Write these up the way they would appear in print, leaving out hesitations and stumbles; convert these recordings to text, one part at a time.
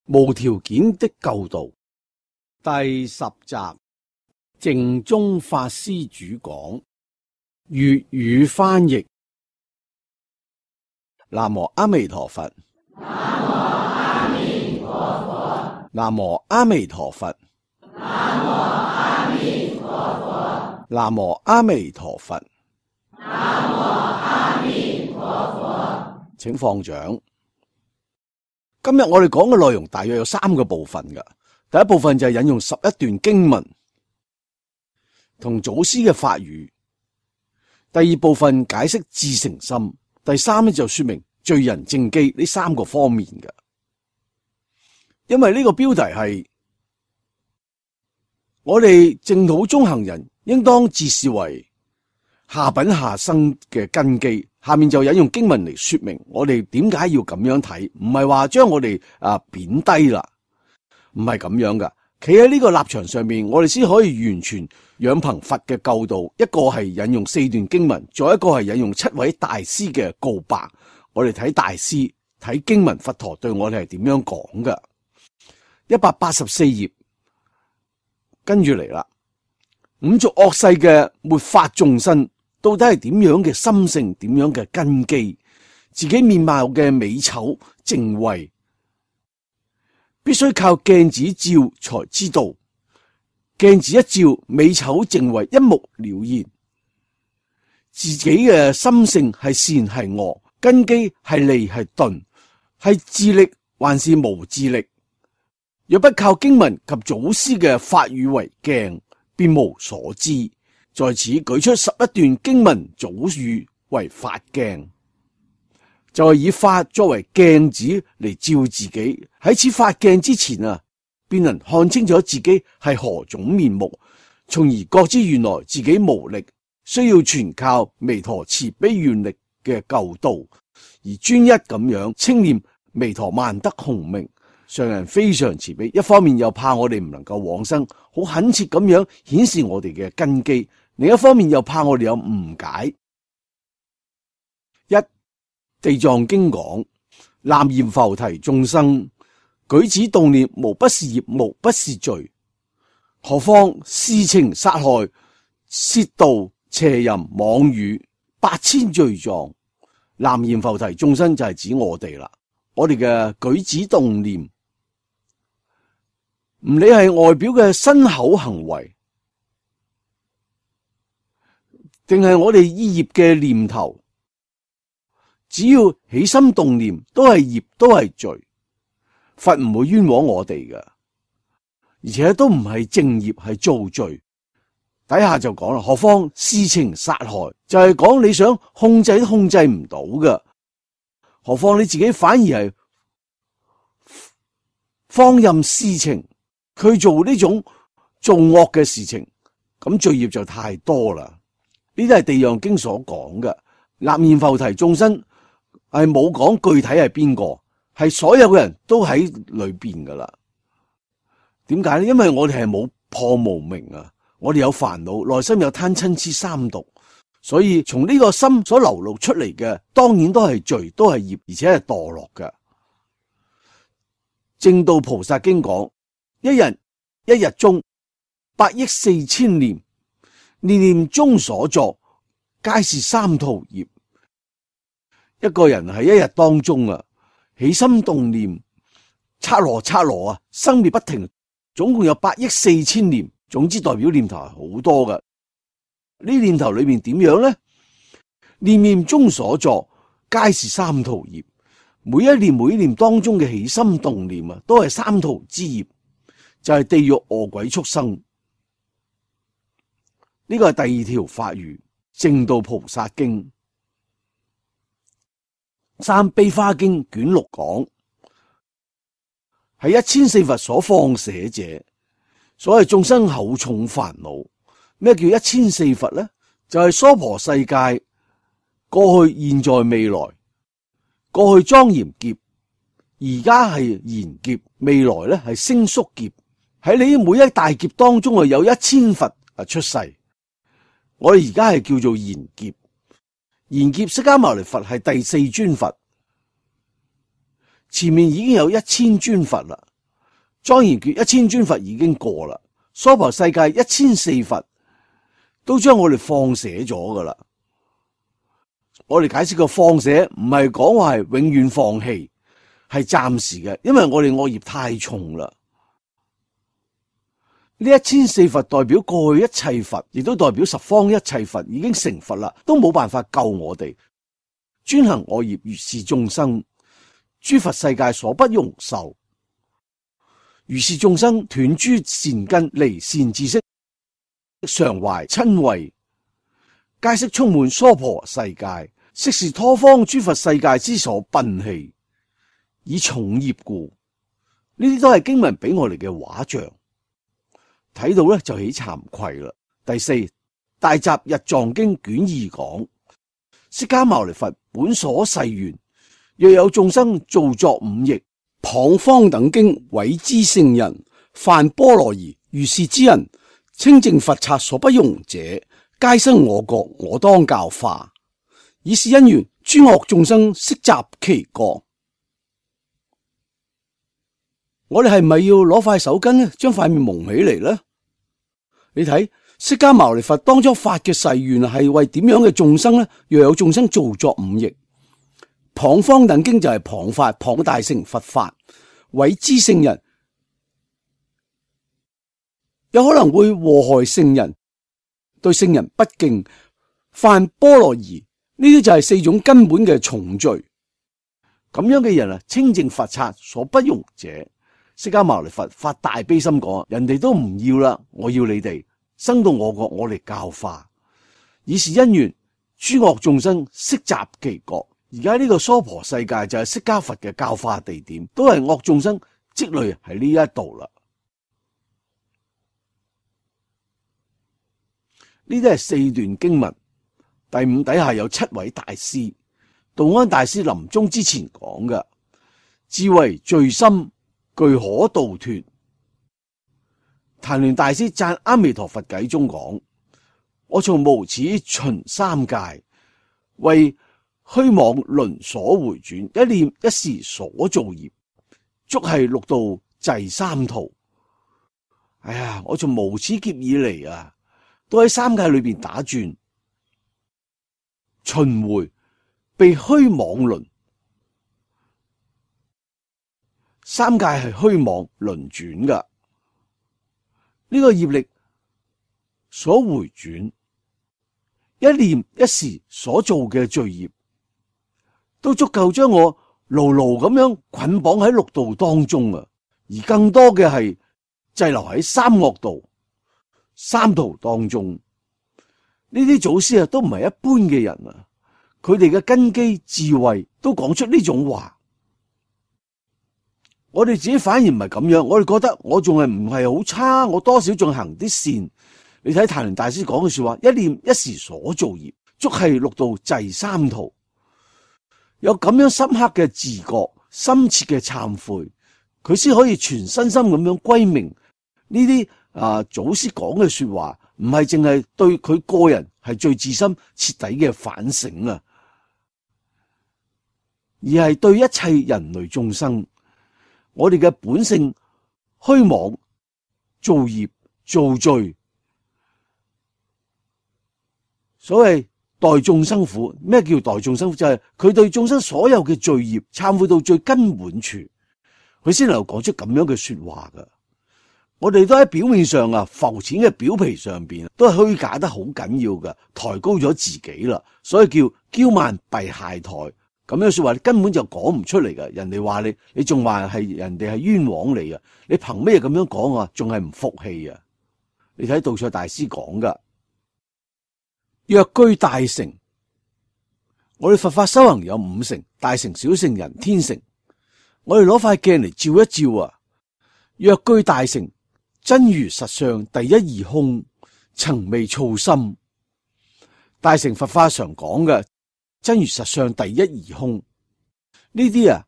無條件的救度第10集，淨宗法師主講，粵語翻譯。南無阿彌陀佛。南無阿彌陀佛。南無阿彌陀佛。南無阿彌陀佛。南無阿彌陀佛。南無阿彌陀佛。請放掌。今日我哋講嘅內容大約有3個部分㗎。第一部分就係引用11段經文同祖師嘅法語。第二部分解釋至誠心。第三就說明罪人正機呢3個方面嘅。因為呢個標題係我哋淨土中行人應當自視為下品下生嘅根基。下面就引用經文嚟說明我哋點解要咁樣睇，唔係話將我哋貶低啦，唔係咁樣噶。企喺呢個立場上面，我哋先可以完全仰憑佛嘅救度。一個係引用4段經文，再一個係引用7位大師嘅告白。我哋睇大師睇經文，佛陀對我哋係點樣講噶。184頁跟住嚟啦。五濁惡世嘅末法眾生到底係點樣嘅心性，點樣嘅根基，自己面貌嘅美醜淨慧，必須靠鏡子照才知道。鏡子一照，美醜淨慧一目了然。自己嘅心性係善係惡，根基係利係鈍，係自力還是無自力。若不靠經文及祖師嘅法語為鏡，便無所知。在此舉出11段經文祖語為法鏡，就係以法作為鏡子嚟照自己。喺此法鏡之前便能看清楚自己係何種面目，從而覺知原來自己無力，需要全靠彌陀慈悲願力嘅救度，而專一咁樣稱念彌陀萬德洪名。上人非常慈悲，一方面又怕我哋唔能夠往生，好懇切咁樣顯示我哋嘅根基。另一方面又怕我哋有誤解。地藏經講，南閻浮提眾生舉止動念無不是業，無不是罪，何況私情殺害、竊盜、邪淫、妄語8000罪狀。南閻浮提眾生就係指我哋啦，我哋嘅舉止動念，唔理係外表嘅身口行為，定係我哋意業嘅念頭，只要起心動念都係業，都係罪。佛唔會冤枉我哋㗎，而且都唔係正業，係造罪。底下就講啦，何況私情殺害，就係講你想控制都控制唔到㗎，何況你自己反而係放任私情，佢做呢種做惡嘅事情，咁罪業就太多啦。呢啲係地藏經所講嘅。南閻浮提眾生係冇講具體係邊個，係所有嘅人都喺裏邊噶啦。點解呢？因為我哋係冇破無明啊，我哋有煩惱，內心有貪嗔癡三毒，所以從呢個心所流露出嚟嘅，當然都係罪，都係業，而且係墮落嘅。正道菩薩經講，一人一日中8億4千念，念念中所作，皆是三途業。一個人喺一日當中起心動念，剎那生滅不停，總共有8億4千念。總之代表念頭係好多㗎。呢念頭裏面點樣呢？念念中所作，皆是三途業。每一念當中嘅起心動念都係三途之業，就係地獄餓鬼畜生。呢個係第2條法語，正道菩薩經。三悲華經卷6講，係1004佛所放捨者。所謂眾生厚重煩惱，咩叫1004佛呢？就係娑婆世界過去、現在、未來。過去莊嚴劫，而家係賢劫，未來咧係星宿劫。喺你每一大劫當中有1000佛出世。我哋而家係叫做賢劫，賢劫釋迦牟尼佛係第4尊佛，前面已經有1000尊佛啦。莊嚴決1000尊佛已經過啦，娑婆世界1004佛都將我哋放捨咗噶啦。我哋解釋個放捨唔係講話係永遠放棄，係暫時嘅，因為我哋惡業太重啦。呢1004佛代表過去一切佛，亦都代表十方一切佛已經成佛啦，都冇辦法救我哋。專行惡業如是眾生，諸佛世界所不容受。如是眾生斷諸善根，離善知識，常懷瞋恚，皆悉充滿娑婆世界，悉是他方諸佛世界之所擯棄，以重業故。呢啲都係經文俾我哋嘅畫像，睇到咧就起慚愧啦。第四，大集日藏經卷2講，釋迦牟尼佛本所誓願，若有眾生造作五逆，誑方等經毀之聖人，犯波羅夷，如是之人，清淨佛剎所不容者，皆生我國，我當教化。以是因緣，諸惡眾生悉集其國。我哋係咪要攞塊手巾咧，將塊面蒙起嚟呢？你睇釋迦牟尼佛當初發嘅誓願係為點樣嘅眾生呢？若有眾生造作五逆，誑方等經就係誑法，誑大乘佛法，毀之聖人，有可能會禍害聖人，對聖人不敬，犯波羅夷，呢啲就係4種根本嘅重罪。咁樣嘅人啊，清淨佛剎所不容者。釋迦牟尼佛發大悲心講，人哋都唔要啦，我要你哋生到我國，我嚟教化。以是因緣，諸惡眾生悉集其國。而家呢個娑婆世界就係釋迦佛嘅教化地點，都係惡眾生積累喺呢一度啦。呢啲係4段經文，第5底下有7位大師。道安大師臨終之前講嘅，智慧最深，具可度脫。曇鸞大師讚阿彌陀佛偈中講，我從無始循三界，為虛妄輪所回轉，一念一時所造業，足係六道滯三途。哎呀，我從無始劫以嚟啊，都喺三界裏邊打轉，循回被虛妄輪。三界係虛妄輪轉噶，呢個業力所回轉，一念一時所做嘅罪業，都足夠將我牢牢咁樣捆綁喺六道當中啊！而更多嘅係滯留喺三惡道、三途當中。呢啲祖師啊，都唔係一般嘅人啊，佢哋嘅根基智慧都講出呢種話。我哋自己反而唔係咁樣，我哋覺得我仲係唔係好差，我多少仲行啲善。你睇曇鸞大師講嘅說話，一念一時所造業，足係六道滯三途。有咁樣深刻嘅自覺、深切嘅懺悔，佢先可以全身心咁樣歸命。呢啲祖師講嘅說話，唔係淨係對佢個人係最自心徹底嘅反省啊，而係對一切人類眾生。我哋嘅本性虛妄、造業、造罪，所謂代眾生苦。咩叫代眾生苦？就係佢對眾生所有嘅罪業懺悔到最根本處，佢先能夠講出咁樣嘅說話噶。我哋都喺表面上啊，浮淺嘅表皮上邊都係虛假得好緊要噶，抬高咗自己啦，所以叫驕慢弊懈怠。咁樣說話你根本就講唔出嚟噶，人哋話你仲話係人哋係冤枉你啊？你憑咩咁樣講啊？仲係唔服氣啊？你睇道錯大師講噶，若居大乘，我哋佛法修行有5乘：大乘、小乘、人天乘。我哋攞塊鏡嚟照一照啊，若居大乘，真如實相第一義空，曾未造心。大乘佛法常講嘅真如實相第一義空，呢啲啊，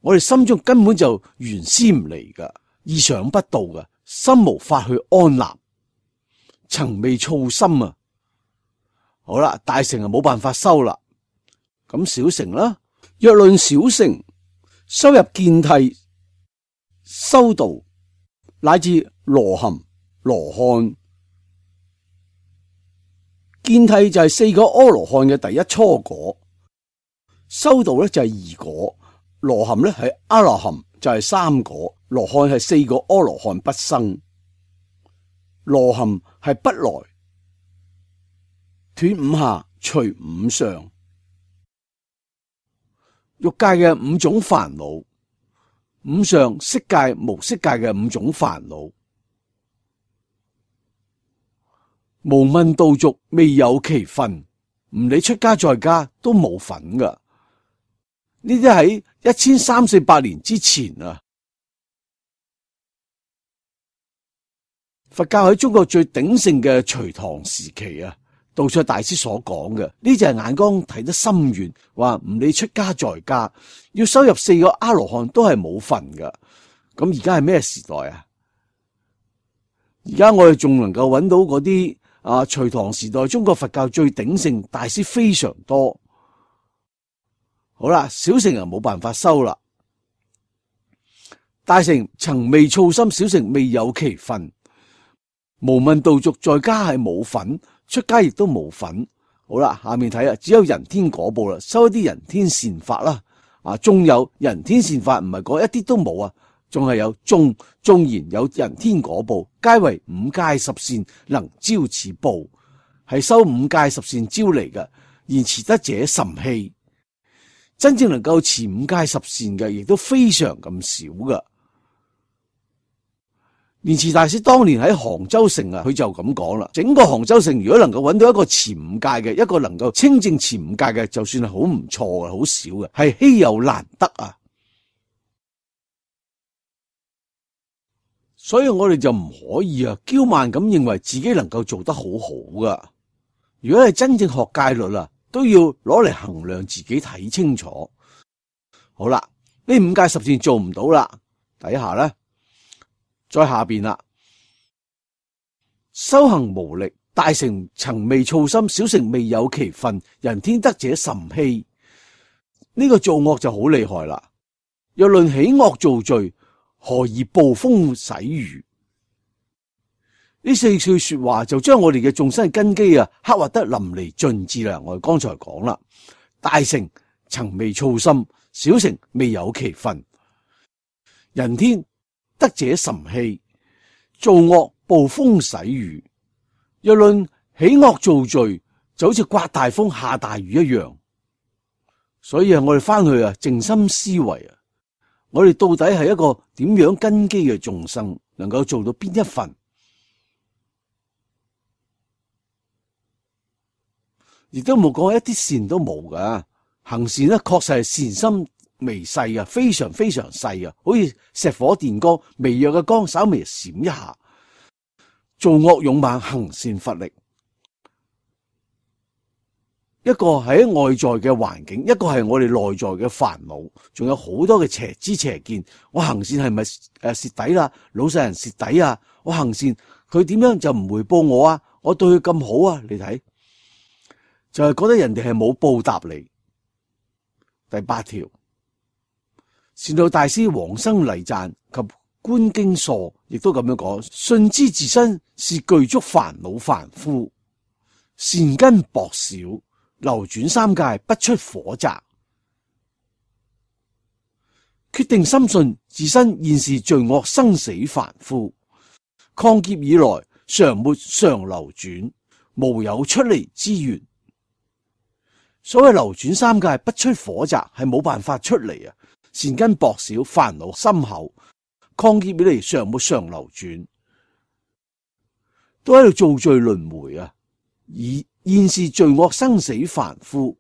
我哋心中根本就原先唔嚟噶，意想不到噶，心無法去安立，曾未造心啊。好啦，大乘啊冇辦法修啦，咁小乘啦，若論小乘，修入見諦、修道、乃至羅含、羅漢。見諦就係4個阿羅漢嘅第一初果，修道咧就係2果，羅含咧係阿羅含就係3果，羅漢係4個阿羅漢不生，羅含係不來，斷5下，除5相，欲界嘅5種煩惱，5相色界、無色界嘅5種煩惱。無問道續未有其分，唔理出家在家都冇份噶。呢啲喺1300-1400年之前啊，佛教喺中國最鼎盛嘅隋唐時期啊，道綽大師所講嘅呢就係眼光睇得深遠，話唔理出家在家，要修入4個阿羅漢都係冇份噶。咁而家係咩時代啊？而家我哋仲能夠揾到嗰啲隋唐時代中國佛教最鼎盛大師非常多。好啦，小乘人冇辦法修啦，大乘曾未操心，小乘未有其分。無問道續在家係冇份，出家亦都冇份。好啦，下面睇只有人天果報啦，修一啲人天善法啦。仲有人天善法唔係講一啲都冇啊，仲係有縱然有人天果報，皆為5戒十善能招此報，係修5戒十善招嚟嘅，然持得者甚稀。真正能夠持5戒十善嘅，亦都非常咁少噶。蓮池大師當年喺杭州城佢就咁講啦，整個杭州城如果能夠揾到一個持5戒嘅，一個能夠清正持5戒嘅，就算係好唔錯嘅，好少嘅，係稀有難得啊！所以我哋就唔可以驕慢咁認為自己能夠做得好好噶。如果係真正學戒律啦，都要攞嚟衡量自己，睇清楚。好啦，呢5戒十善做唔到啦，底下咧，再下邊啦，修行無力，大乘曾未操心，小乘未有其分，人天得者甚稀。呢個造惡就好厲害啦。若論起惡造罪，何以暴風洗雨？呢4句說話就將我哋嘅眾生根基刻畫得淋漓盡致啦。我哋剛才講啦，大乘曾未操心，小乘未有其分，人天得者甚稀，造惡暴風洗雨。若論起惡造罪，就好似刮大風下大雨一樣。所以我哋翻去靜心思維我哋到底係一個點樣根基嘅眾生，能夠做到邊一份？亦都冇講一啲善都冇噶，行善咧確實係善心微細非常非常細好似石火電光，微弱嘅光稍微閃一下。做惡勇猛，行善乏力。一個係喺外在嘅環境，一個係我哋內在嘅煩惱，仲有好多嘅邪知邪見。我行善係咪蝕底啦？老實人蝕底啊！我行善，佢點樣就唔回報我啊？我對佢咁好啊？你睇，就係覺得人哋係冇報答你。第8條，善導大師往生禮讚及觀經疏亦都咁樣講：信知自身是具足煩惱凡夫，善根薄少，流轉3界不出火宅，決定深信自身現是罪惡生死凡夫，抗劫以來常沒常流轉，無有出離之緣。所謂流轉3界不出火宅，係冇辦法出嚟善根薄少，煩惱深厚，抗劫以嚟常沒常流轉，都喺度造罪輪迴而現是罪惡生死凡夫。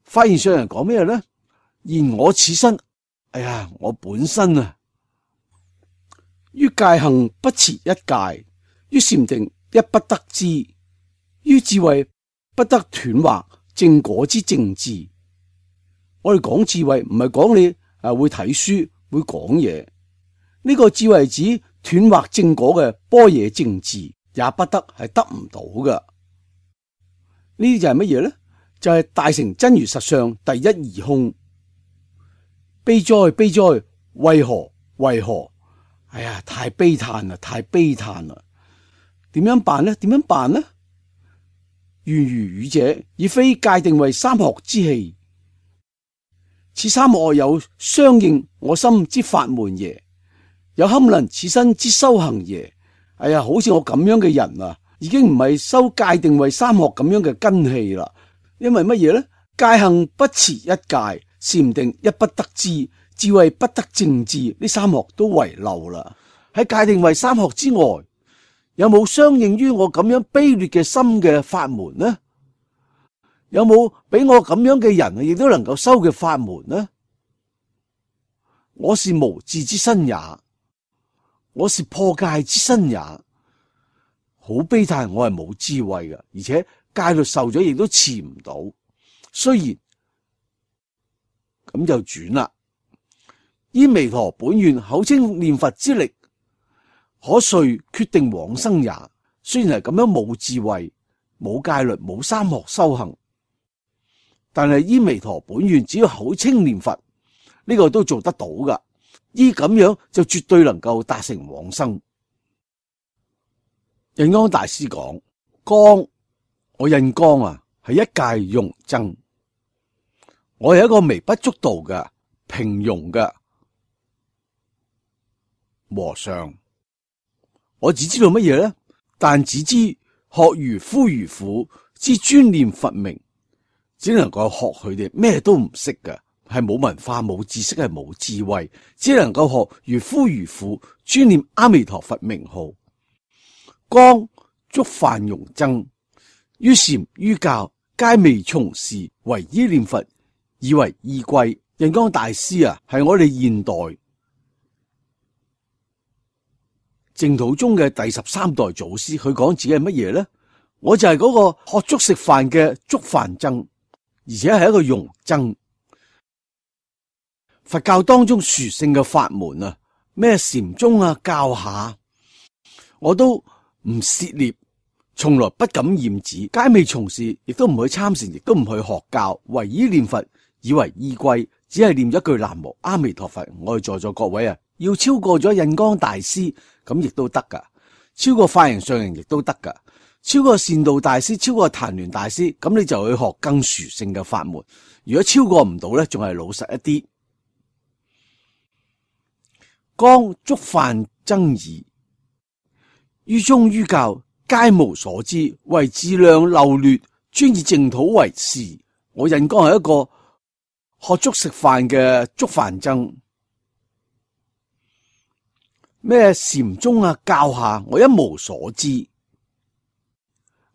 發現上人講咩呢？言我此身，我本身於戒行不持一戒，於禪定一不得知，於智慧不得斷惑正果之正智。我哋講智慧唔係講你會睇書會講嘢，呢個智慧指斷惑正果嘅般若正智，也不得係得唔到㗎。呢啲就係乜嘢呢？就係大乘真如實相第一義空。悲哉悲哉，為何為何？哎呀，太悲嘆啦，太悲嘆啦！點樣辦呢？點樣辦呢？緣如語者，已非界定為三學之器。此三學有相應我心之法門耶？有堪能此身之修行耶？哎呀，好似我咁樣嘅人啊，已經唔係修界定為三學咁樣嘅根器啦。因為乜嘢呢？戒行不持一戒，禪定一不得之，智慧不得正智，呢三學都遺漏啦。喺界定為三學之外，有冇相應於我咁樣卑劣嘅心嘅法門呢？有冇俾我咁樣嘅人亦都能夠修嘅法門呢？我是無智之身也，我是破戒之身也。好悲嘆，我係冇智慧嘅，而且戒律受咗亦都持唔到。雖然咁就轉啦，依彌陀本願口稱念佛之力，可遂決定往生也。雖然係咁樣冇智慧、冇戒律、冇三學修行，但係依彌陀本願，只要口稱念佛，呢個都做得到噶。依咁樣就絕對能夠達成往生。印光大師講，光，我印光啊，係一介庸僧，我係一個微不足道嘅平庸嘅和尚。我只知道乜嘢呢？但只知學如夫如婦之專念佛名，只能夠學佢哋，咩都唔識嘅，係冇文化、冇知識、係冇智慧，只能夠學如夫如婦專念阿彌陀佛名號。光觸犯庸僧，於禪於教皆未從事，唯依念佛以為依歸。印光大師啊，係我哋現代淨土宗嘅第13代祖師。佢講自己係乜嘢呢？我就係嗰個學粥食飯嘅粥飯僧，而且係一個庸僧。佛教當中殊勝嘅法門啊，咩禪宗啊、教下，我都唔涉獵，從來不敢染指，皆未從事，亦都唔去參禪，亦都唔去學教，唯依念佛以為依歸，只係念一句南無阿彌陀佛。我哋在座各位啊，要超過咗印光大師，咁亦都得噶；超過法形上人亦都得噶；超過善導大師，超過曇鸞大師，咁你就去學更殊勝嘅法門。如果超過唔到咧，仲係老實一啲。光觸犯僧耳，於宗於教皆無所知，唯自量漏劣，專以淨土為事。我印光係一個學粥食飯嘅粥飯僧，咩禪宗啊、教下，我一無所知。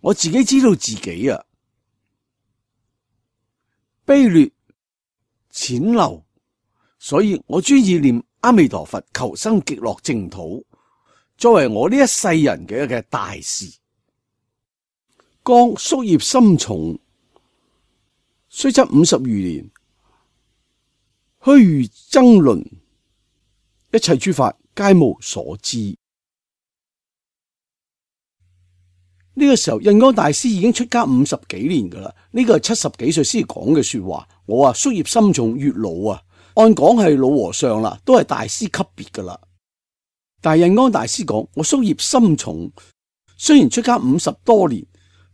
我自己知道自己啊，卑劣淺陋，所以我專意念阿彌陀佛，求生極樂淨土，作為我呢一世人嘅大事。光宿業深重，雖則50餘年，虛如爭論，一切諸法皆無所知。呢個時候，印光大師已經出家50幾年噶啦，呢個係70幾歲先講嘅說話。我宿業深重，越老啊，按講係老和尚啦，都係大師級別噶啦。但係印光大師講，我宿業深重，雖然出家50多年，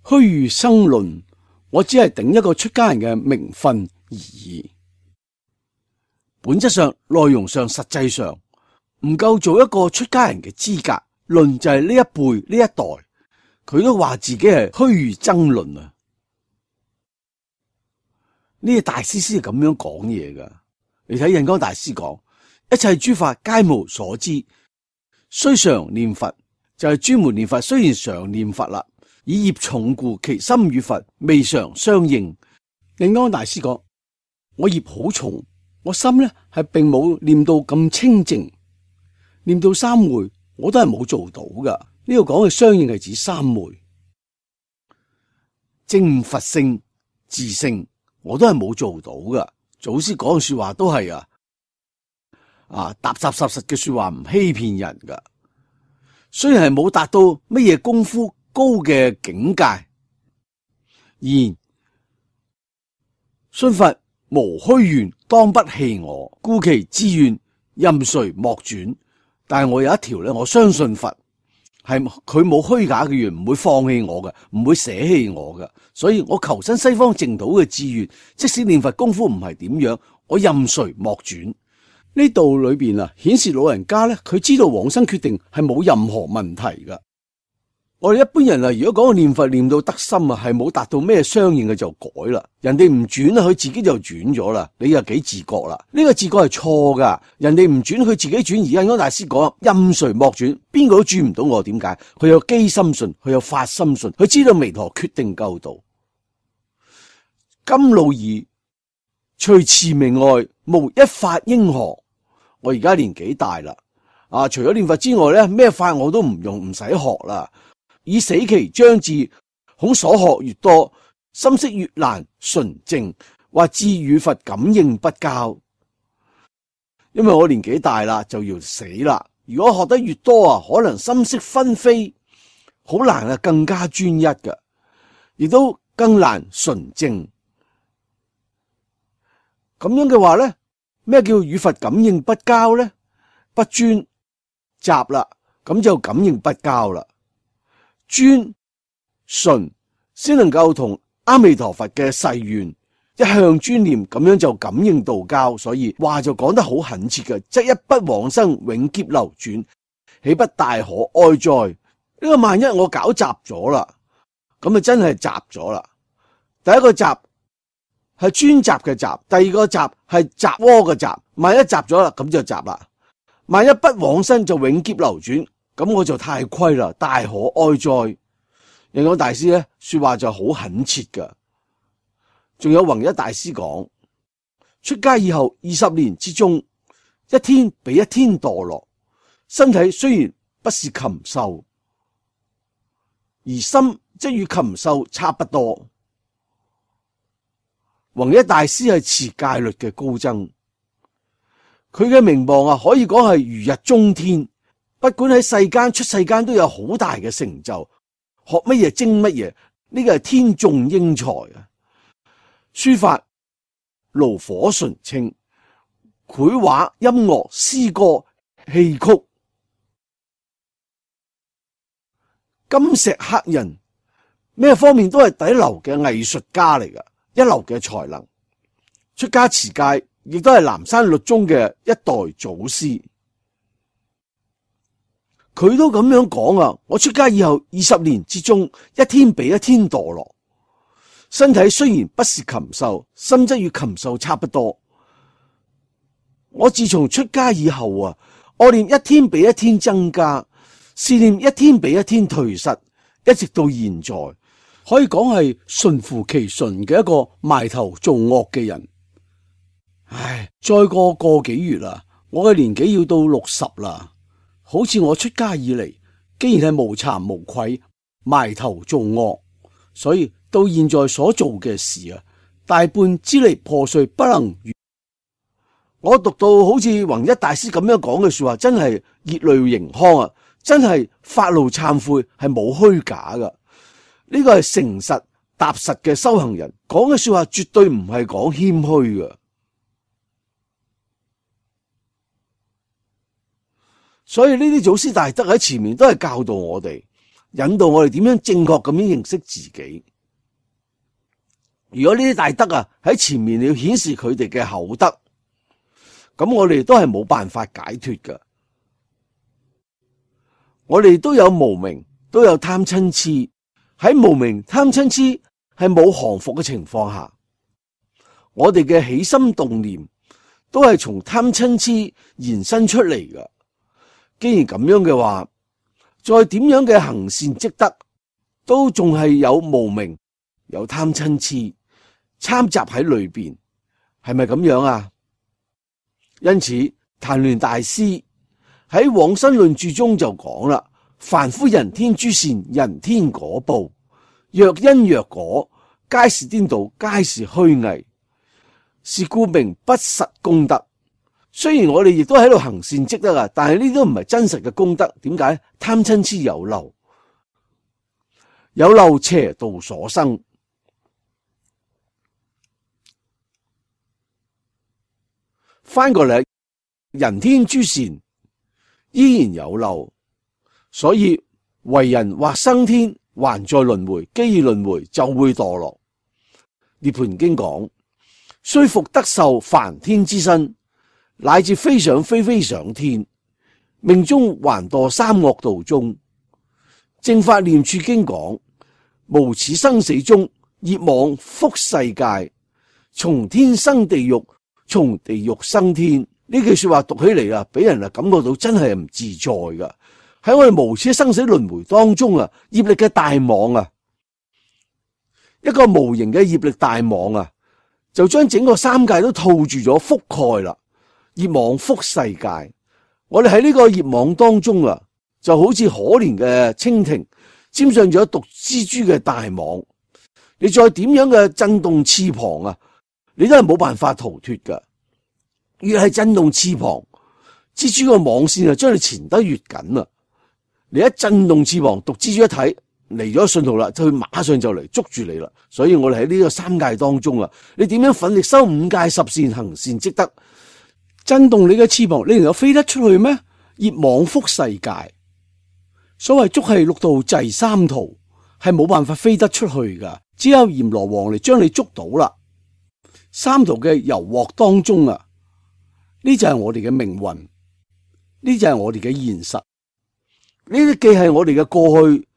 虛如爭論，我只係頂一個出家人嘅名分而已。本質上、內容上、實際上唔夠做一個出家人嘅資格。論就係呢一輩呢一代，佢都話自己係虛如爭論啊！呢個大師先係咁樣講嘢噶。你睇印光大師講，一切諸法皆無所知，雖常念佛，就係專門念佛。雖然常念佛啦，以業重故，其心與佛未常相應。印光大師講，我業好重，我心呢係並冇念到咁清淨，念到三昧我都係冇做到噶。呢度講嘅相應係指三昧，證悟佛性、自性，我都係冇做到噶。祖師講嘅說話都係踏踏實實嘅說話，唔欺騙人噶。雖然係冇達到乜嘢功夫高嘅境界，然信佛無虛願，當不棄我，故其志願任誰莫轉。但係我有一條咧，我相信佛係佢冇虛假嘅願，唔會放棄我嘅，唔會捨棄我嘅。所以我求生西方淨土嘅志願，即使念佛功夫唔係點樣，我任誰莫轉。呢度裏邊啊，顯示老人家咧，佢知道往生決定係冇任何問題噶。我哋一般人啊，如果講個念佛念到得心啊，係冇達到咩相應嘅就改啦。人哋唔轉啊，佢自己就轉咗啦。你又幾自覺啦？呢個自覺係錯噶。人哋唔轉，佢自己轉。而家安大師講任誰莫轉，邊個都轉唔到我。點解？佢有機心信，佢有法心信，佢知道彌陀決定救度。甘露儀除持名外，無一法應學。我而家年紀大啦，除咗念佛之外咧，咩法我都唔用，唔使學啦。以死期將至，恐所學越多，心識越難純正，或至與佛感應不交。因為我年紀大啦，就要死啦。如果學得越多啊，可能心識紛飛，好難啊，更加專一嘅，亦都更難純正。咁樣嘅話咧，咩叫與佛感應不交咧？不專雜啦，咁就感應不交啦。專純先能夠同阿彌陀佛嘅誓願一向專念，咁樣就感應道交。所以話就講得好懇切嘅，則一不往生，永劫流轉，豈不大可哀哉？呢個萬一我搞雜咗啦，咁啊真係雜咗啦。第一個雜係專雜嘅雜，第二個雜係雜窩嘅雜。萬一雜咗啦，咁就雜啦。萬一不往生就永劫流轉，咁我就太虧啦，大可哀哉。印光大師咧說話就好懇切噶。仲有弘一大師講，出家以後20年之中，一天比一天墮落，身體雖然不是禽獸，而心則與禽獸差不多。弘一大師係持戒律嘅高僧，佢嘅名望啊，可以講係如日中天。不管喺世間出世間都有好大嘅成就，學乜嘢精乜嘢，呢個係天縱英才啊！書法爐火純青，繪畫音樂詩歌戲曲，金石刻印，咩方面都係第一流嘅藝術家嚟噶，一流嘅才能。出家持戒，亦都係南山律宗嘅一代祖師。佢都咁樣講啊！我出家以後20年之中，一天比一天墮落，身體雖然不是禽獸，心則與禽獸差不多。我自從出家以後啊，惡念一天比一天增加，善念一天比一天退失，一直到現在，可以講係順乎其順嘅一個埋頭做惡嘅人。唉，再過個幾月啦，我嘅年紀要到60啦。好似我出家以嚟，既然係無慚無愧，埋頭做惡，所以到現在所做嘅事啊，大半支離破碎，不能完。我讀到好似弘一大師咁樣講嘅說話，真係熱淚盈眶啊！真係發怒懺悔，係冇虛假噶。呢個係誠實踏實嘅修行人講嘅說話，絕對唔係講謙虛噶。所以呢啲祖師大德喺前面都係教導我哋，引導我哋點樣正確咁樣認識自己。如果呢啲大德啊喺前面要顯示佢哋嘅厚德，咁我哋都係冇辦法解脫噶。我哋都有無明，都有貪嗔癡。喺無明貪嗔癡係冇降伏嘅情況下，我哋嘅起心動念都係從貪嗔癡延伸出嚟噶。既然咁樣嘅話，再點樣嘅行善積德，都仲係有無明、有貪嗔癡摻雜喺裏邊，係咪咁樣啊？因此，曇鸞大師喺《往生論注》中就講啦：凡夫人天諸善，人天果報，若因若果，皆是顛倒，皆是虛偽，是故名不實功德。雖然我哋亦都喺度行善積德啊，但係呢都唔係真實嘅功德。點解？貪嗔癡有漏，有漏邪道所生。翻過嚟，人天諸善依然有漏，所以為人或生天，還在輪迴，既已輪迴就會墮落。涅槃經講，雖復得受梵天之身，乃至飛上飛上天，命中還墮三惡道中。正法念處經講，無始生死中，業網覆世界，從天生地獄，從地獄生天。呢句說話讀起嚟啊，俾人感覺到真係唔自在噶。喺我哋無始生死輪迴當中啊，業力嘅大網啊，一個無形嘅業力大網啊，就將整個三界都套住咗，覆蓋啦。業網覆世界，我哋喺呢個業網當中啊，就好似可憐嘅蜻蜓沾上咗毒蜘蛛嘅大網，你再點樣嘅震動翅膀啊，你都係冇辦法逃脫噶。越係震動翅膀，蜘蛛個網線啊，將你纏得越緊啊！你一震動翅膀，毒蜘蛛一睇嚟咗信號啦，就馬上就嚟捉住你啦。所以我哋喺呢個三界當中啊，你點樣奮力修五戒十善，行善積德，震動你嘅翅膀，你能夠飛得出去咩？業網覆世界，所謂捉係六道滯三途，係冇辦法飛得出去噶，只有閻羅王嚟將你捉到啦。三途嘅油鑊當中啊，呢就係我哋嘅命運，呢就係我哋嘅現實，呢啲既係我哋嘅過去，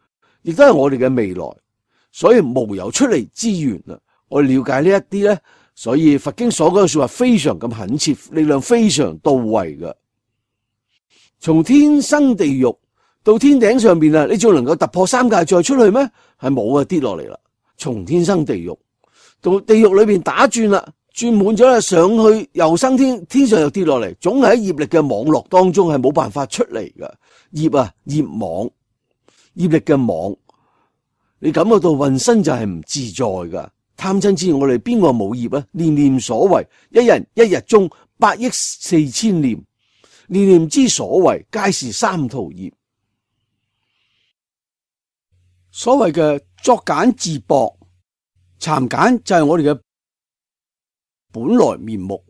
亦都係我哋嘅未來，所以無有出離之源啊！我哋了解呢一啲咧，所以佛經所講嘅說話非常咁懇切，力量非常到位嘅。從天生地獄到天頂上邊啊，你仲能夠突破三界再出去咩？係冇啊，跌落嚟啦！從天生地獄到地獄裏邊打轉啦。轉滿咗啦，上去又升天，天上又跌落嚟，總係喺業力嘅網絡當中係冇辦法出嚟嘅。業啊，業網，業力嘅網，你感覺到渾身就係唔自在噶。貪嗔痴，我哋邊個冇業啊？念念所為，一人一日中8億4千念，念念之所為，皆是三途業。所謂嘅作繭自縛，蠶繭就係我哋嘅本來面目，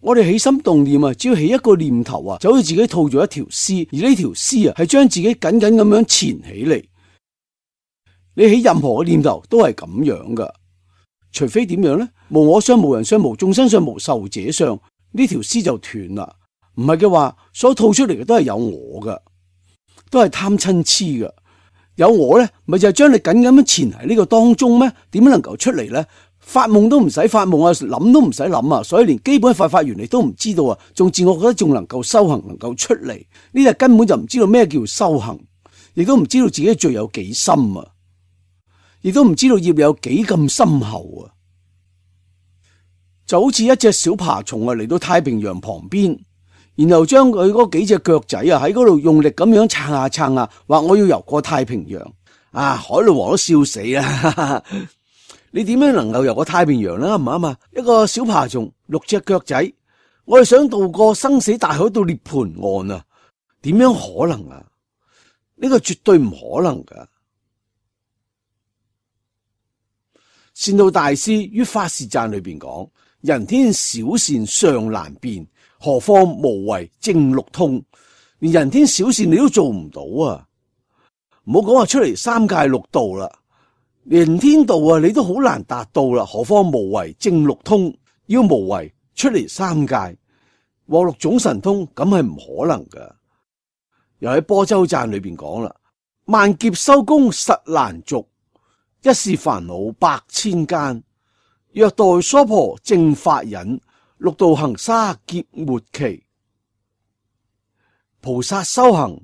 我哋起心動念啊，只要起一個念頭啊，就好似自己套咗一條絲，而呢條絲啊係將自己緊緊咁樣纏起嚟。你起任何嘅念頭都係咁樣噶，除非點樣呢？無我相、無人相、無眾生相、無壽者相，呢條絲就斷啦。唔係嘅話，所套出嚟嘅都係有我噶，都係貪嗔痴噶。有我呢，咪就係將你緊緊咁纏喺呢個當中咩？點樣能夠出嚟呢？發夢都唔使發夢啊，諗都唔使諗啊，所以連基本佛法原理都唔知道啊，仲自我覺得仲能夠修行，能夠出嚟，呢啲根本就唔知道咩叫修行，亦都唔知道自己罪有幾深啊，亦都唔知道業有幾咁深厚啊，就好似一隻小爬蟲啊嚟到太平洋旁邊，然後將佢嗰幾隻腳仔啊喺嗰度用力咁樣撐下撐下，話我要游過太平洋啊，海龍王都笑死啦！你點樣能夠游過太平洋啦？唔啱啊！一個小爬蟲，6隻腳仔，我哋想渡過生死大海到涅槃岸啊，點樣可能啊？呢個絕對唔可能噶。善導大師於法事讚裏邊講：人天小善尚難辨，何況無為正六通？連人天小善你都做唔到啊！唔好講話出嚟三界六道啦。連天道啊，你都好難達到啦，何況無為正六通？要無為出嚟三界獲六種神通，咁係唔可能噶。又喺般舟讚裏邊講啦：萬劫修功實難續，一事煩惱百千間。若待娑婆正法忍，六道行沙劫末期。菩薩修行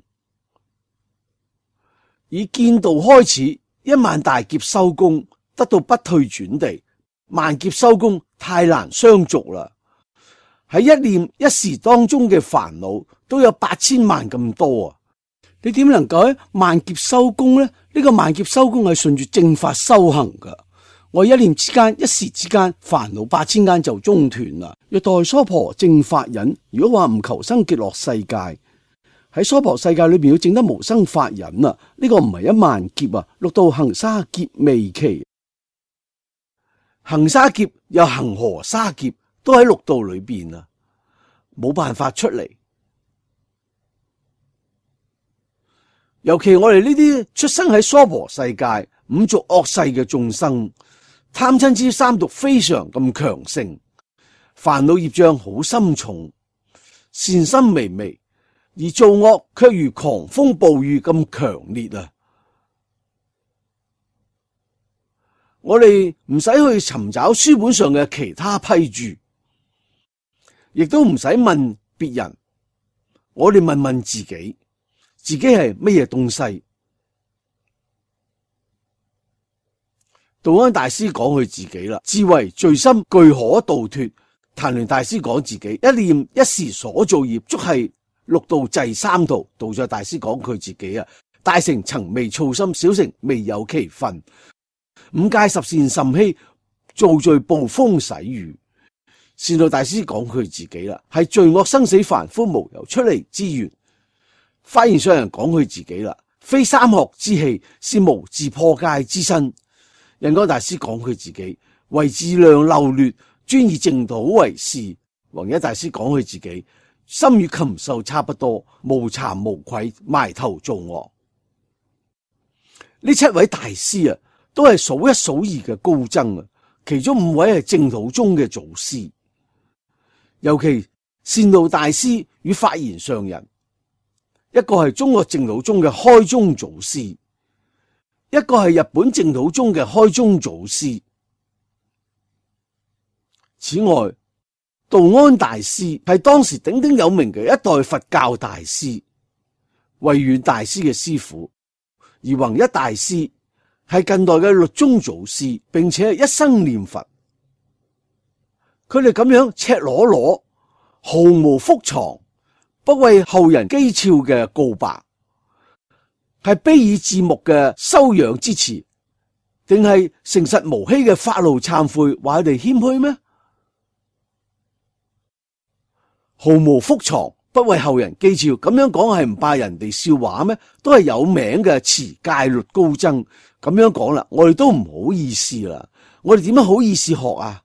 以見道開始。10000大劫收功，得到不退轉地。萬劫收功太難相續啦。喺一念一時當中嘅煩惱都有8000萬咁多啊！你點能夠喺萬劫收功呢？呢個萬劫收功係順住正法修行噶。我一念之間、一時之間，煩惱8000間就中斷啦。若待娑婆正法忍，如果話唔求生極樂世界。喺娑婆世界裏邊要證得無生法忍啊！呢個唔係10000劫啊，六道行沙劫未期，行沙劫又行河沙劫，都喺六道裏邊啊！冇辦法出嚟。尤其我哋呢啲出生喺娑婆世界五濁惡世嘅眾生，貪嗔癡三毒非常咁強盛，煩惱業障好深重，善心微微，而造惡卻如狂風暴雨咁強烈啊！我哋唔使去尋找書本上嘅其他批注，亦都唔使問別人，我哋問問自己。自己係乜嘢東西？道安大師講佢自己啦，智慧罪心具可度脫。曇鸞大師講自己，一念一時所造業，足係六道滯三途。道在大師講佢自己啊，大乘曾未操心，小乘未有其分。五戒十善甚稀，造罪暴風洗雨。善導大師講佢自己啦，係罪惡生死凡夫無由出離之源。發現上人講佢自己啦，非三學之器，是無自破戒之身。印光大師講佢自己，為自量漏劣，專以淨土為事。弘一大師講佢自己，心與禽獸差不多，無慚無愧，埋頭做惡。呢七位大師啊，都係數一數二嘅高僧啊，其中五位係淨土宗嘅祖師，尤其善導大師與法然上人。一個係中國淨土宗嘅開宗祖師，一個係日本淨土宗嘅開宗祖師。此外，道安大師係當時鼎鼎有名嘅一代佛教大師，慧遠大師嘅師父，而弘一大師係近代嘅律宗祖師，並且係一生念佛。佢哋咁樣赤裸裸，毫無覆藏，不為後人譏誚嘅告白，係卑以自牧嘅修養之詞，定係誠實無欺嘅發露懺悔，話佢哋謙虛咩？毫無覆藏，不為後人譏誚，咁樣講係唔怕人哋笑話咩？都係有名嘅持戒律高僧，咁樣講啦，我哋都唔好意思啦。我哋點樣好意思學啊？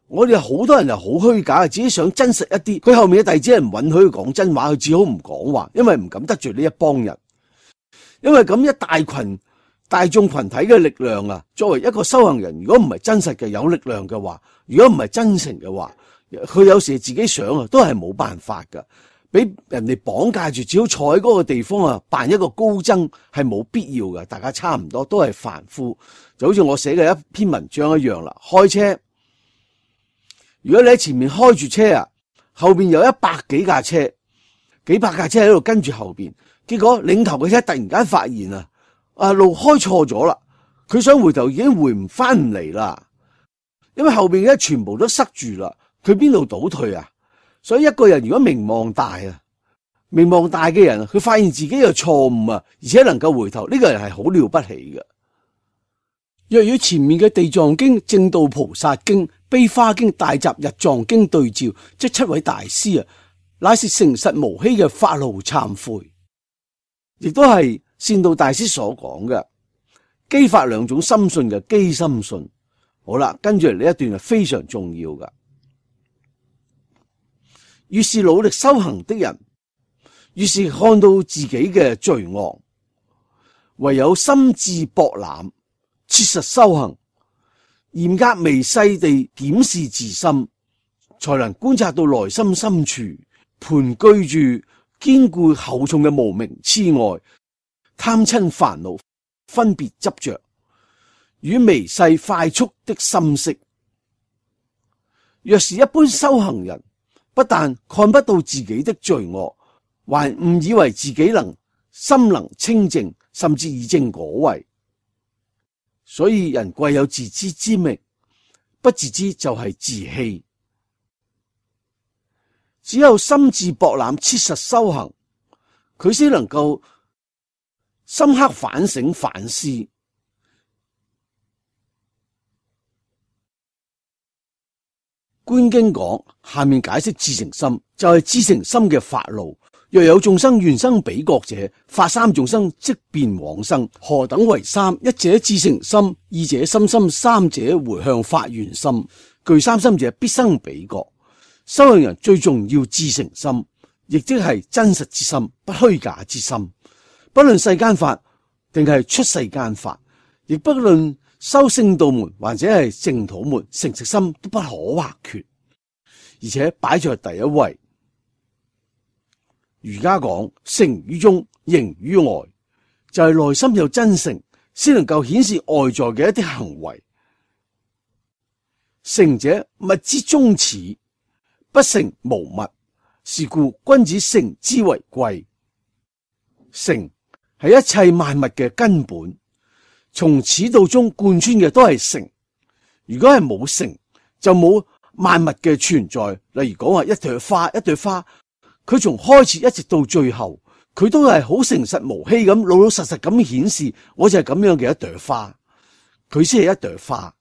我哋好多人就好虛假，自己想真實一啲。佢後面嘅弟子係唔允許佢講真話，佢只好唔講話，因為唔敢得罪呢一幫人。因為咁一大群大眾群體嘅力量啊，作為一個修行人，如果唔係真實嘅有力量嘅話，如果唔係真誠嘅話，佢有時自己想啊，都係冇辦法噶，俾人哋綁架住，只好坐喺嗰個地方啊，扮一個高僧係冇必要嘅。大家差唔多都係凡夫，就好似我寫嘅一篇文章一樣啦。開車，如果你喺前面開住車啊，後邊有100幾架車，幾百架車喺度跟住後邊，結果領頭嘅車突然間發現路開錯咗啦，佢想回頭已經回唔翻唔嚟啦，因為後邊嘅全部都塞住啦，佢邊度倒退啊？所以一個人如果名望大嘅人，佢發現自己有錯誤啊，而且能夠回頭，呢個人係好了不起嘅。若與前面嘅地藏經、正道菩薩經、悲華經、大集日藏經對照，即7位大師啊，乃是誠實無欺嘅發露懺悔，亦都係善導大師所講嘅基法兩種心信嘅基心信。好啦，跟住嚟呢一段係非常重要噶。越是努力修行的人，越是看到自己嘅罪惡，唯有心智博覽，切實修行，嚴格微細地檢視自心，才能觀察到內心深處盤踞住堅固厚重嘅無明癡愛、貪嗔煩惱、分別執着與微細快速的心識。若是一般修行人，不但看不到自己的罪惡，還誤以為自己心能清淨，甚至以正果位。所以人貴有自知之明，不自知就係自欺。只有心智博覽、切實修行，佢先能夠深刻反省反思。觀經講，下面解釋至誠心，就係至誠心嘅發露。若有眾生願生彼國者，發三眾生即便往生。何等為三？一者至誠心，二者心心，三者回向發願心。具三心者必生彼國。修行人最重要至誠心，亦即係真實之心，不虛假之心。不論世間法定係出世間法，亦不論修聖道門或者係淨土門，誠實心都不可或缺，而且擺在第一位。儒家講誠於中，形於外，就係內心有真誠，先能夠顯示外在嘅一啲行為。誠者，物之宗始，不誠無物，是故君子誠之為貴。誠係一切萬物嘅根本，從始到終貫穿嘅都係誠。如果係冇誠，就冇萬物嘅存在。例如講話一朵花，一朵花，佢從開始一直到最後，佢都係好誠實無欺咁，老老實實咁顯示，我就係咁樣嘅一朵花，佢先係一朵花。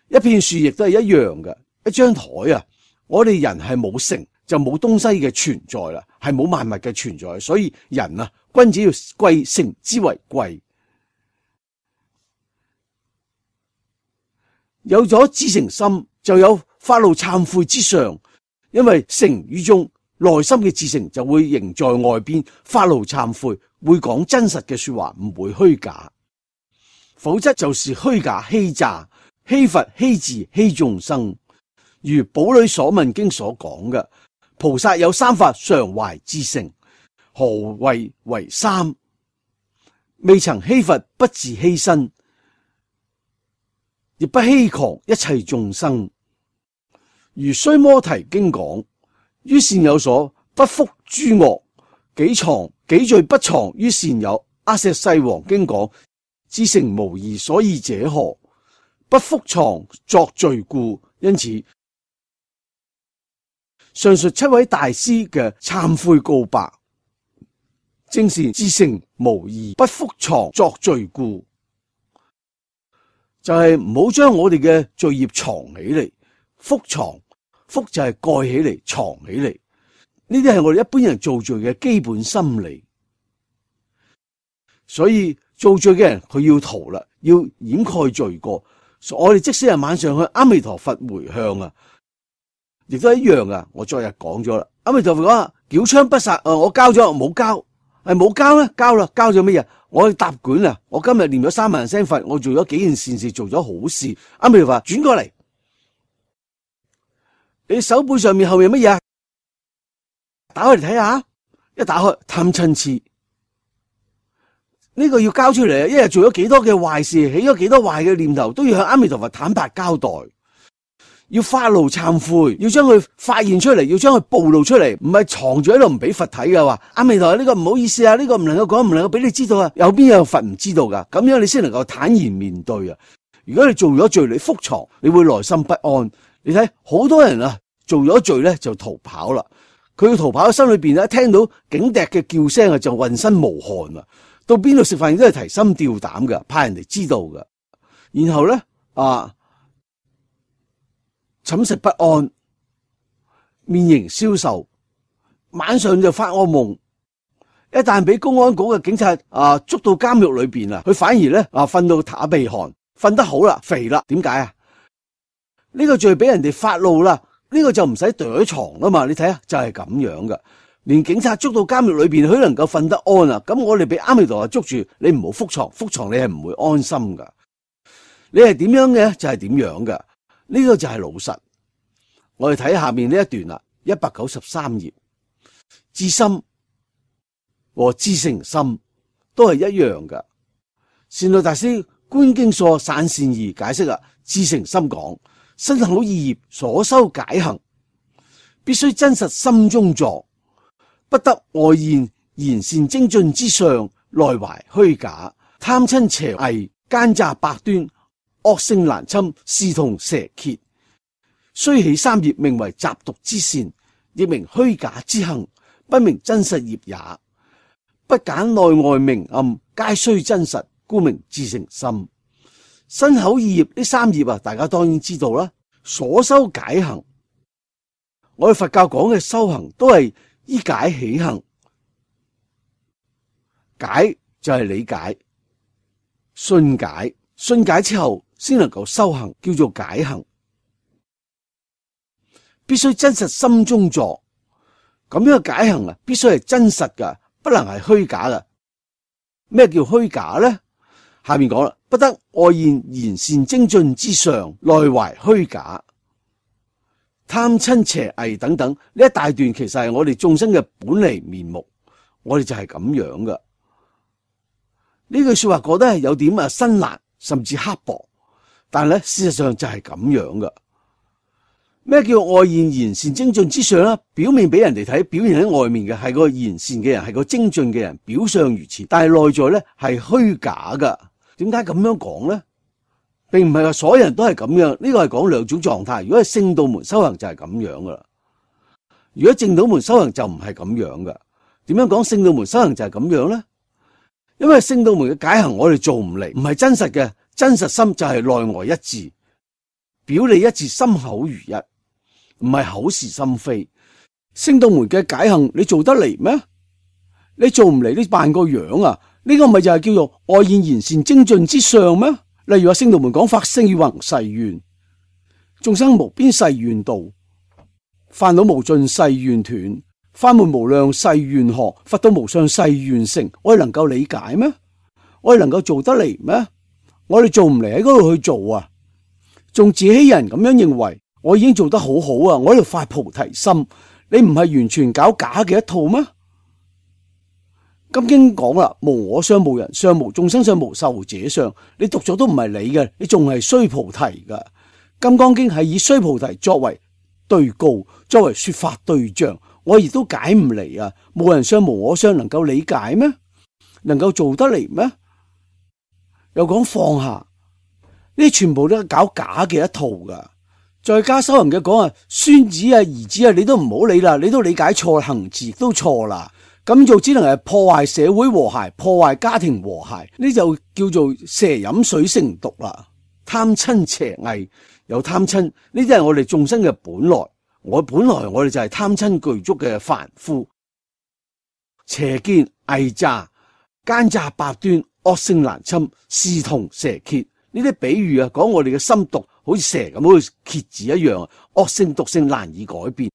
一片樹亦都係一樣嘅，一張台啊，我哋人係冇誠，就冇東西嘅存在啦，係冇萬物嘅存在，所以人啊，君子要貴，誠之為貴。有咗至誠心，就有發露懺悔之相，因為誠於中，內心嘅至誠就會形在外邊，發露懺悔，會講真實嘅說話，唔會虛假，否則就是虛假欺詐。欺佛欺智欺眾生，如《寶裡所問經》所講嘅，菩薩有三法常懷至誠。何謂為三？未曾欺佛，不自欺身，亦不欺誑一切眾生。如《須摩提經》講，於善友所不復諸惡，己罪不藏於善友。阿闍世王經講，至誠無異，所以者何？不復藏作罪故。因此，上述七位大師嘅懺悔告白，正是至誠無異，不復藏作罪故，就係唔好將我哋嘅罪孽藏起嚟。復藏，復就係蓋起嚟，藏起嚟。呢啲係我哋一般人做罪嘅基本心理。所以做罪嘅人佢要逃啦，要掩蓋罪過。我哋即使係晚上去阿彌陀佛回向啊，亦都一樣噶。我昨日講咗啦，阿彌陀佛講繳槍不殺，我交咗冇交，係冇交咧，交啦，交咗乜嘢？我去答卷啊！我今日念咗3萬聲佛，我做咗幾件善事，做咗好事。阿彌陀佛轉過嚟，你手背上面後面乜嘢？打開嚟睇下，一打開貪嗔癡。呢個要交出嚟啊！一日做咗幾多嘅壞事，起咗幾多壞嘅念頭，都要向阿彌陀佛坦白交代，要發露懺悔，要將佢發現出嚟，要將佢暴露出嚟，唔係藏住喺度唔俾佛睇嘅話，阿彌陀佛呢個唔好意思啊，呢個唔能夠講，唔能夠俾你知道啊，有邊有佛唔知道噶？咁樣你先能夠坦然面對啊！如果你做咗罪，你復藏，你會內心不安。你睇好多人啊，做咗罪咧就逃跑啦，佢要逃跑喺心裏邊咧，聽到警笛嘅叫聲啊，就渾身無汗啊！到邊度食飯都係提心吊膽嘅，怕人哋知道嘅。然後咧寢食不安，面形消瘦，晚上就發惡夢。一旦俾公安局嘅警察捉到監獄裏邊啊，佢反而咧瞓到打鼻鼾，瞓得好啦，肥啦。點解啊？呢個罪俾人哋發露啦，呢個就唔使躲藏啦嘛。你睇下，就係咁樣嘅。連警察捉到監獄裏邊，佢能夠瞓得安啊！咁我哋俾阿彌陀佛捉住，你唔好復藏，復藏你係唔會安心噶。你係點樣嘅就係點樣噶，呢個就係老實。我哋睇下面呢一段啦，193頁，至心和至誠心都係一樣噶。善導大師觀經疏散善義解釋啊，至誠心講身口意業所修解行，必須真實心中作。不得外現言善精進之相，內懷虛假，貪嗔邪偽，奸詐百端，惡性難侵，視同蛇蠍。雖起三業，名為雜毒之善，亦名虛假之行，不名真實業也。不揀內外明暗，皆須真實，故名至誠心。身口意業呢三業啊，大家當然知道啦。所修解行，我哋佛教講嘅修行都係依解起行，解就係理解，信解，信解之後先能夠修行，叫做解行。必須真實心中作。咁樣嘅解行啊，必須係真實噶，不能係虛假噶。咩叫虛假咧？下面講啦，不得外現賢善精進之相，內懷虛假，貪嗔邪偽等等。呢一大段其實係我哋眾生嘅本嚟面目，我哋就係咁樣噶。呢句說話覺得係有點辛辣，甚至刻薄，但係咧事實上就係咁樣噶。咩叫外現賢善精進之相咧？表面俾人哋睇，表現喺外面嘅係個賢善嘅人，係個精進嘅人，表相如此，但係內在咧係虛假噶。點解咁樣講咧？並唔係話所有人都係咁樣，呢個係講兩種狀態。如果係聖道門修行就係咁樣噶啦，如果正道門修行就唔係咁樣噶。點樣講聖道門修行就係咁樣咧？因為聖道門嘅解行我哋做唔嚟，唔係真實嘅，真實心就係內外一致，表裏一致，心口如一，唔係口是心非。聖道門嘅解行你做得嚟咩？你做唔嚟，你扮個樣啊？呢個咪就係叫做外現賢善精進之相咩？例如話聖道門講法四弘誓願，眾生無邊誓願度，煩惱無盡誓願斷，法門無量誓願學，佛道無上誓願成。我哋能夠理解咩？我哋能夠做得嚟咩？我哋做唔嚟喺嗰度去做啊，仲自欺人咁樣認為我已經做得好好啊，我喺度發菩提心。你唔係完全搞假嘅一套咩？金經講啦，無我相、無人相、無眾生相、無壽者相。你讀咗都唔係你嘅，你仲係須菩提噶。金剛經係以須菩提作為對告，作為說法對象。我亦都解唔嚟啊！無人相、無我相，能夠理解咩？能夠做得嚟咩？又講放下，呢啲全部都係搞假嘅一套噶。在家修行嘅講啊，孫子啊、兒子啊，你都唔好理啦，你都理解錯，行持亦都錯啦。咁做只能係破壞社會和諧，破壞家庭和諧，呢就叫做蛇飲水成毒啦。貪嗔邪偽，有貪嗔，呢啲係我哋眾生嘅本來。本來我哋就係貪嗔具足嘅凡夫。邪見、偽詐、奸詐百端、惡性難侵，視同蛇蠍。呢啲比喻啊，講我哋嘅心毒，好似蛇咁，好似蠍子一樣，惡性毒性難以改變。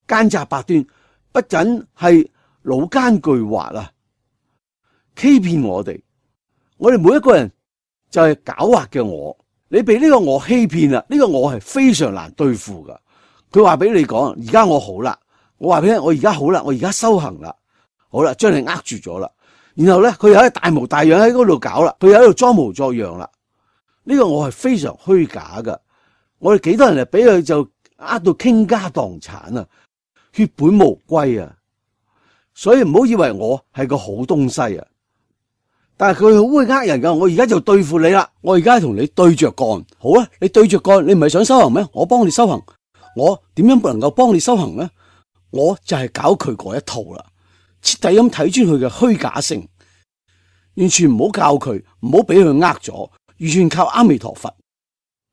奸詐百端，不僅係老奸巨猾啊，欺騙我哋。我哋每一個人就係狡猾嘅我，你被呢個我欺騙啦，呢個我係非常難對付噶。佢話俾你講，而家我好啦，我話俾你聽，我而家好啦，我而家修行啦，好啦，將你呃住咗啦。然後咧，佢又喺大模大樣喺嗰度搞啦，佢又喺度裝模作樣啦。呢個我係非常虛假噶。我哋幾多人嚟俾佢就呃到傾家蕩產啊，血本無歸啊。所以唔好以為我係個好東西啊，但係佢好會呃人噶。我而家就對付你啦，我而家同你對着幹。好啊，你對着幹，你唔係想修行咩？我幫你修行。我點樣能夠幫你修行呢？我就係搞佢嗰一套啦，徹底咁睇穿佢嘅虛假性，完全唔好教佢，唔好俾佢呃咗，完全靠阿彌陀佛。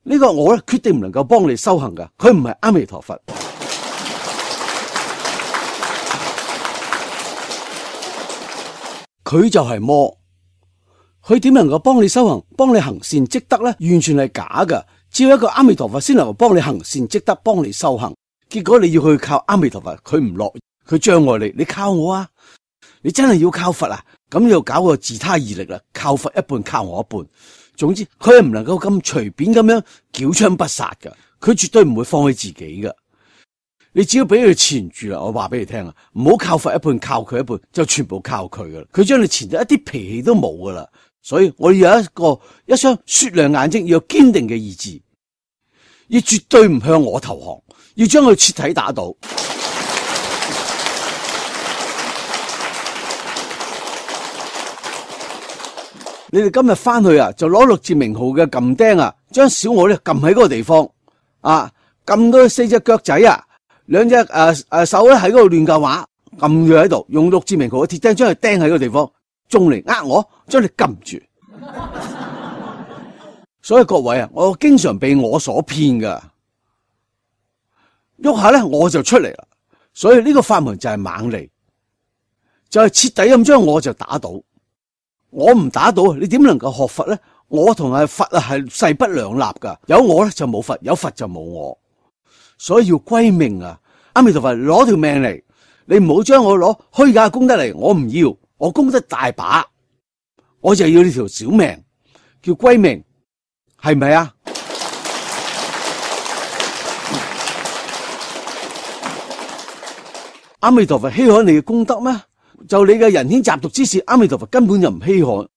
呢個我咧決定唔能夠幫你修行噶，佢唔係阿彌陀佛。佢就係魔，佢點能夠幫你修行，幫你行善積德呢？完全係假噶。只有一個阿彌陀佛先能夠幫你行善積德，幫你修行。結果你要去靠阿彌陀佛，佢唔樂，佢障礙你。你靠我啊！你真係要靠佛啊！咁又搞個自他二力啦，靠佛一半，靠我一半。總之，佢係唔能夠咁隨便咁樣繳槍不殺噶，佢絕對唔會放棄自己噶。你只要俾佢纏住啦，我話俾你聽啊，唔好靠佛一半，靠佢一半，就全部靠佢噶啦。佢將你纏到一啲脾氣都冇噶啦。所以我要有一雙雪亮眼睛，要有堅定嘅意志，要絕對唔向我投降，要將佢徹底打倒。你哋今日翻去啊，就攞六字名號嘅撳釘啊，將小我咧撳喺嗰個地方啊，撳到四隻腳仔啊，兩隻手咧喺嗰度亂教話，撳住喺度，用六字名號嘅鐵釘將佢釘喺嗰個地方。仲嚟呃我，將你撳住。所以各位啊，我經常被我所騙噶，喐下咧我就出嚟啦。所以呢個法門就係猛利，就係徹底咁將我就打倒。我唔打倒，你點能夠學佛咧？我同係佛啊係勢不兩立噶，有我咧就冇佛，有佛就冇我。所以要歸命啊！阿彌陀佛，攞條命嚟，你唔好將我攞虛假嘅功德嚟，我唔要，我功德大把，我就要呢條小命，叫歸命，係咪啊？阿彌陀佛稀罕你嘅功德咩？就你嘅人天雜毒之事，阿彌陀佛根本就唔稀罕。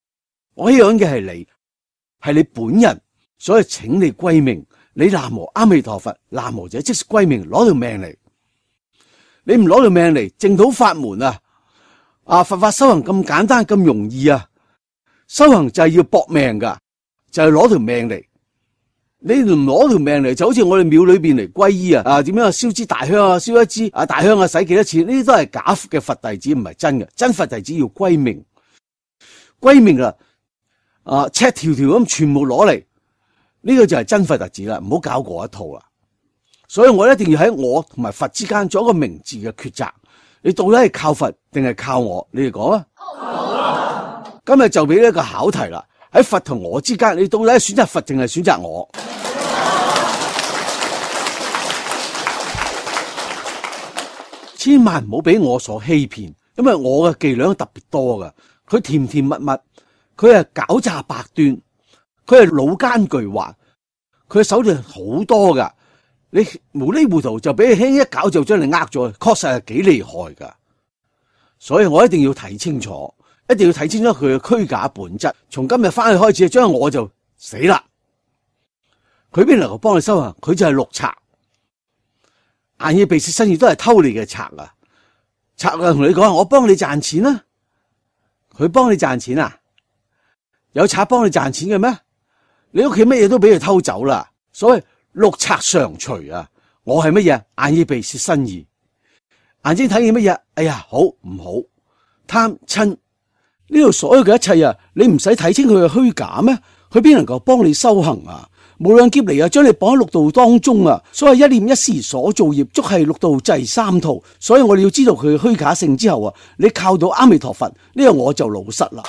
我稀罕嘅係你本人，所以請你歸命。你南無阿彌陀佛，南無者即是歸命，攞條命嚟。你唔攞條命嚟，淨土法門啊，佛法修行咁簡單咁容易啊！修行就係要搏命噶，就係攞條命嚟。你唔攞條命嚟，就好似我哋廟裏邊嚟皈依啊，點樣啊？燒支大香啊，燒一支大香啊，使幾多錢？呢啲都係假嘅佛弟子，唔係真嘅。真佛弟子要歸命，歸命赤條條咁全部攞嚟，呢個就係真佛弟子啦。唔好搞嗰一套啦。所以我一定要喺我同埋佛之間做一個明智嘅抉擇。你到底係靠佛定係靠我？你哋講啊！今日就俾呢一個考題啦。喺佛同我之間，你到底係選擇佛定係選擇我？千萬唔好俾我所欺騙，因為我嘅伎倆特別多噶。佢甜甜蜜蜜，佢係狡詐百端，佢係老奸巨猾，佢嘅手段好多噶。你無厘糊塗就俾你輕一搞就將你呃咗，確實係幾厲害噶。所以我一定要睇清楚，一定要睇清楚佢嘅虛假本質。從今日翻去開始，將我就死啦。佢邊能夠幫你修行？佢就係六賊，眼耳鼻舌身意都係偷你嘅賊啊！賊啊，同你講，我幫你賺錢啊！佢幫你賺錢啊？有賊幫你賺錢嘅咩？你屋企乜嘢都俾佢偷走啦。所謂六賊常隨啊！我係乜嘢？眼耳鼻舌身意，眼睛睇見乜嘢？哎呀，好唔好？貪嗔呢度所有嘅一切啊，你唔使睇清佢嘅虛假咩？佢邊能夠幫你修行啊？無量劫嚟啊，將你綁喺六道當中啊！所謂一念一時所造業，足係六道濟三途。所以我哋要知道佢嘅虛假性之後啊，你靠到阿彌陀佛呢個我就老實啦。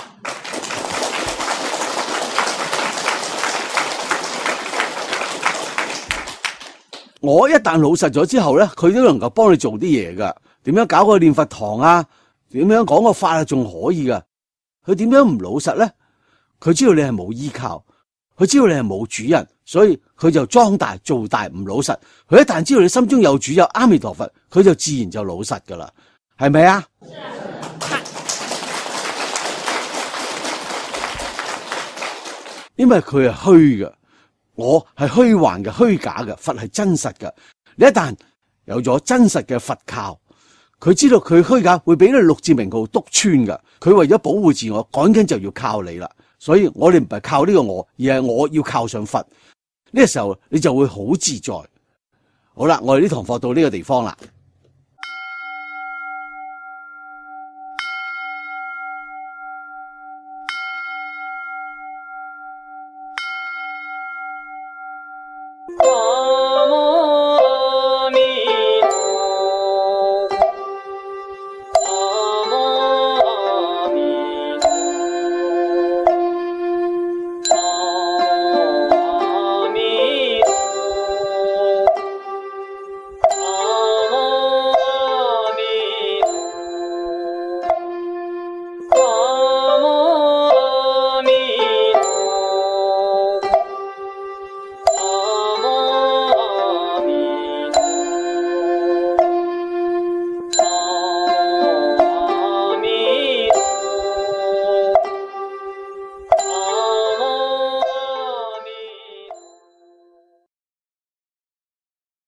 我一旦老實咗之後咧，佢都能夠幫你做啲嘢噶。點樣搞個念佛堂啊？點樣講個法啊？仲可以噶。佢點樣唔老實咧？佢知道你係冇依靠，佢知道你係冇主人，所以佢就裝大做大唔老實。佢一旦知道你心中有主有阿彌陀佛，佢就自然就老實噶啦，係咪啊？因為佢係虛嘅。我係虛幻嘅、虛假嘅，佛係真實嘅。你一旦有咗真實嘅佛靠，佢知道佢虛假會俾你六字名號篤穿㗎。佢為咗保護自我，趕緊就要靠你啦。所以我哋唔係靠呢個我，而係我要靠上佛。呢個時候你就會好自在。好啦，我哋呢堂課到呢個地方啦。